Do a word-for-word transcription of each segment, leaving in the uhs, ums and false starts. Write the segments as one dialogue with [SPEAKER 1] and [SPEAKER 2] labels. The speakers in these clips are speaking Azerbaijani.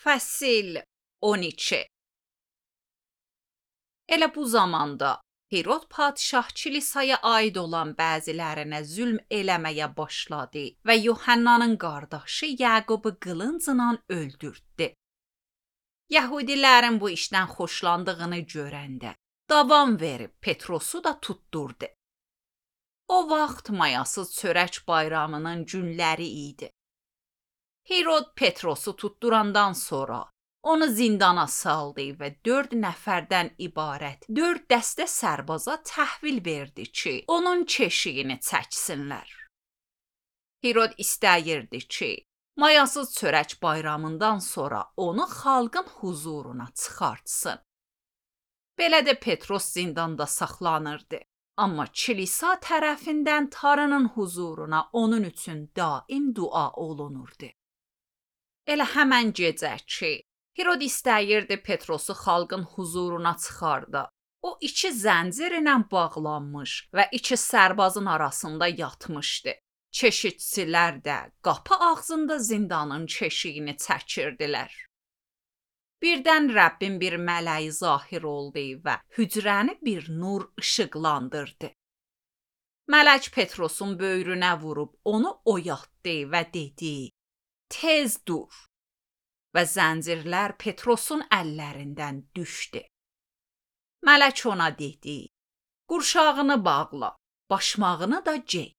[SPEAKER 1] Fəsil on iki. Elə bu zamanda Hirod padşah kilisaya aid olan bəzilərinə zülm eləməyə başladı və Yuhannanın qardaşı Yaqubu qılıncla öldürdü. Yahudilərin bu işdən xoşlandığını görəndə davam verib Petrosu da tutturdu. O vaxt mayasız çörək bayramının günləri idi. Hirod Petrosu tutturandan sonra onu zindana saldı və dörd nəfərdən ibarət dörd dəstə sərbaza təhvil verdi ki, onun keşiyini çəksinlər. Hirod istəyirdi ki, mayasız çörək bayramından sonra onu xalqın huzuruna çıxartsın. Belə də Petros zindanda saxlanırdı. Amma kilisa tərəfindən Tanrının huzuruna onun üçün daim dua olunurdu. Elə həmən gecə ki, Hirod istəyirdi Petrosu xalqın huzuruna çıxarda. O iki zəncir ilə bağlanmış və iki sərbazın arasında yatmışdı. Keşikçilər də qapı ağzında zindanın keşiyini çəkirdilər. Birdən Rəbbin bir mələyi zahir oldu və hücrəni bir nur işıqlandırdı. Mələk Petrosun böyrünə vurub onu oyatdı və dedi: "Tez dur." Və zəncirlər Petrosun əllərindən düşdü. Mələk ona dedi: "Qurşağını bağla, başmağını da gey."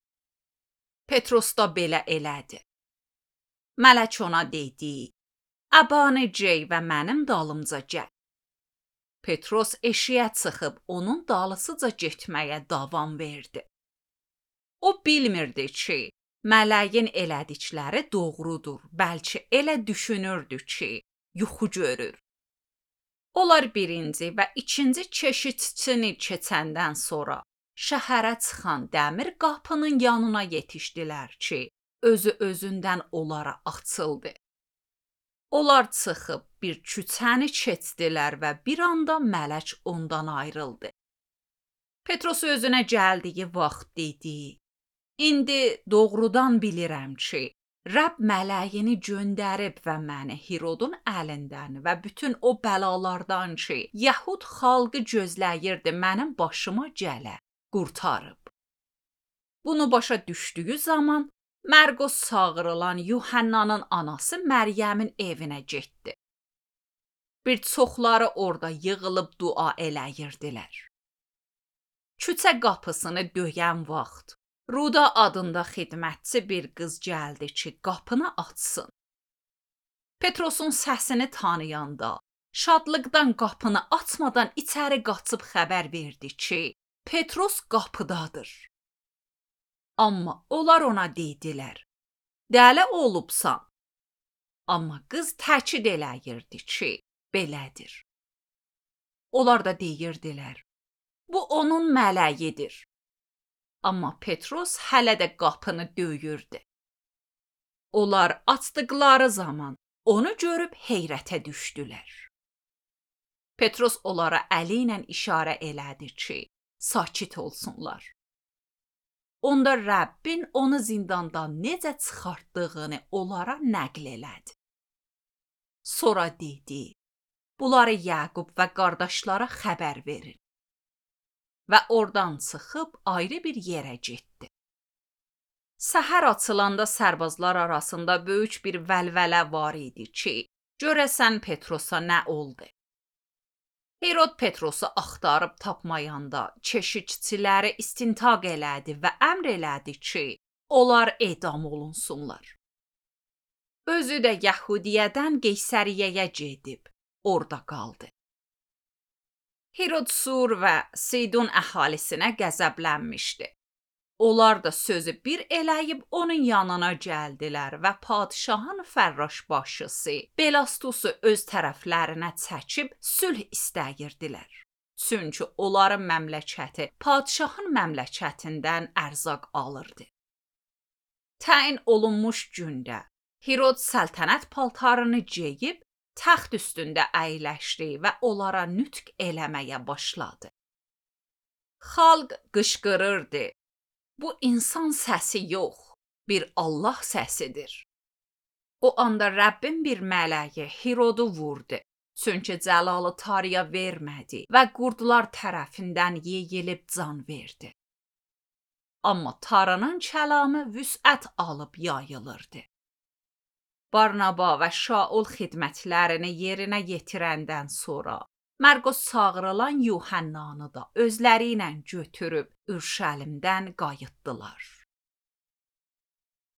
[SPEAKER 1] Petros da belə elədi. Mələk ona dedi: "Əbanı gey və mənim dalımca gəl." Petros eşiyə çıxıb onun dalısıca getməyə davam verdi. O bilmirdi ki, mələyin elədikləri doğrudur, bəlkə elə düşünürdü ki, yuxu görür. Onlar birinci və ikinci keşikçini keçəndən sonra şəhərə çıxan dəmir qapının yanına yetişdilər ki, özü özündən onlara açıldı. Onlar çıxıb bir küçəni keçdilər və bir anda mələk ondan ayrıldı. Petros özünə gəldiyi vaxt dedi: "İndi doğrudan bilirəm ki, Rəbb mələyini göndərib və məni Hirodun əlindən və bütün o bəlalardan ki, Yəhud xalqı gözləyirdi mənim başıma gələ, qurtarıb." Bunu başa düşdüyü zaman Mərqos çağırılan Yuhannanın anası Məryəmin evinə getdi. Bir çoxları orada yığılıb dua eləyirdilər. Küçə qapısını döyən vaxt Ruda adında xidmətçi bir qız gəldi ki, qapını açsın. Petrosun səsini tanıyanda şadlıqdan qapını açmadan içəri qaçıb xəbər verdi ki, Petros qapıdadır. Amma onlar ona dedilər: "Dəli olubsan." Amma qız təkid eləyirdi ki, belədir. Onlar da deyirdilər: "Bu onun mələyidir." Amma Petros hələ də qapını döyürdü. Onlar açdıqları zaman onu görüb heyrətə düşdülər. Petros onlara əli ilə işarə elədi ki, sakit olsunlar. Onda Rəbbin onu zindandan necə çıxartdığını onlara nəql elədi. Sonra dedi: "Bunları Yaqub və qardaşlara xəbər verin." Və oradan çıxıb ayrı bir yerə getdi. Səhər açılanda sərbazlar arasında böyük bir vəlvələ var idi ki, görəsən Petrosa nə oldu? Hirod Petrosu axtarıb tapmayanda keşikçiləri istintaq elədi və əmr elədi ki, onlar edam olunsunlar. Özü də Yəhudiyədən Qeysəriyyəyə gedib, orada qaldı. Hirod Sur və Sidon əhalisinə qəzəblənmişdi. Onlar da sözü bir eləyib onun yanına gəldilər və padşahın fərraş başçısı Belastusu öz tərəflərinə çəkib sülh istəyirdilər. Çünki onların məmləkəti padşahın məmləkətindən ərzaq alırdı. Təyin olunmuş gündə Hirod səltənət paltarını geyib təxt üstündə əyləşdi və onlara nütq eləməyə başladı. Xalq qışqırırdı: "Bu insan səsi yox, bir Allah səsidir." O anda Rəbbin bir mələyi Herodu vurdu. Çünki cəlalı tarıya vermədi və qurdlar tərəfindən yeyilib can verdi. Amma tarının kəlamı vüsət alıb yayılırdı. Barnaba və Şaul xidmətlərini yerinə yetirəndən sonra Mərqos çağırılan Yuhannanı da özləri ilə götürüb Ürşəlimdən qayıtdılar.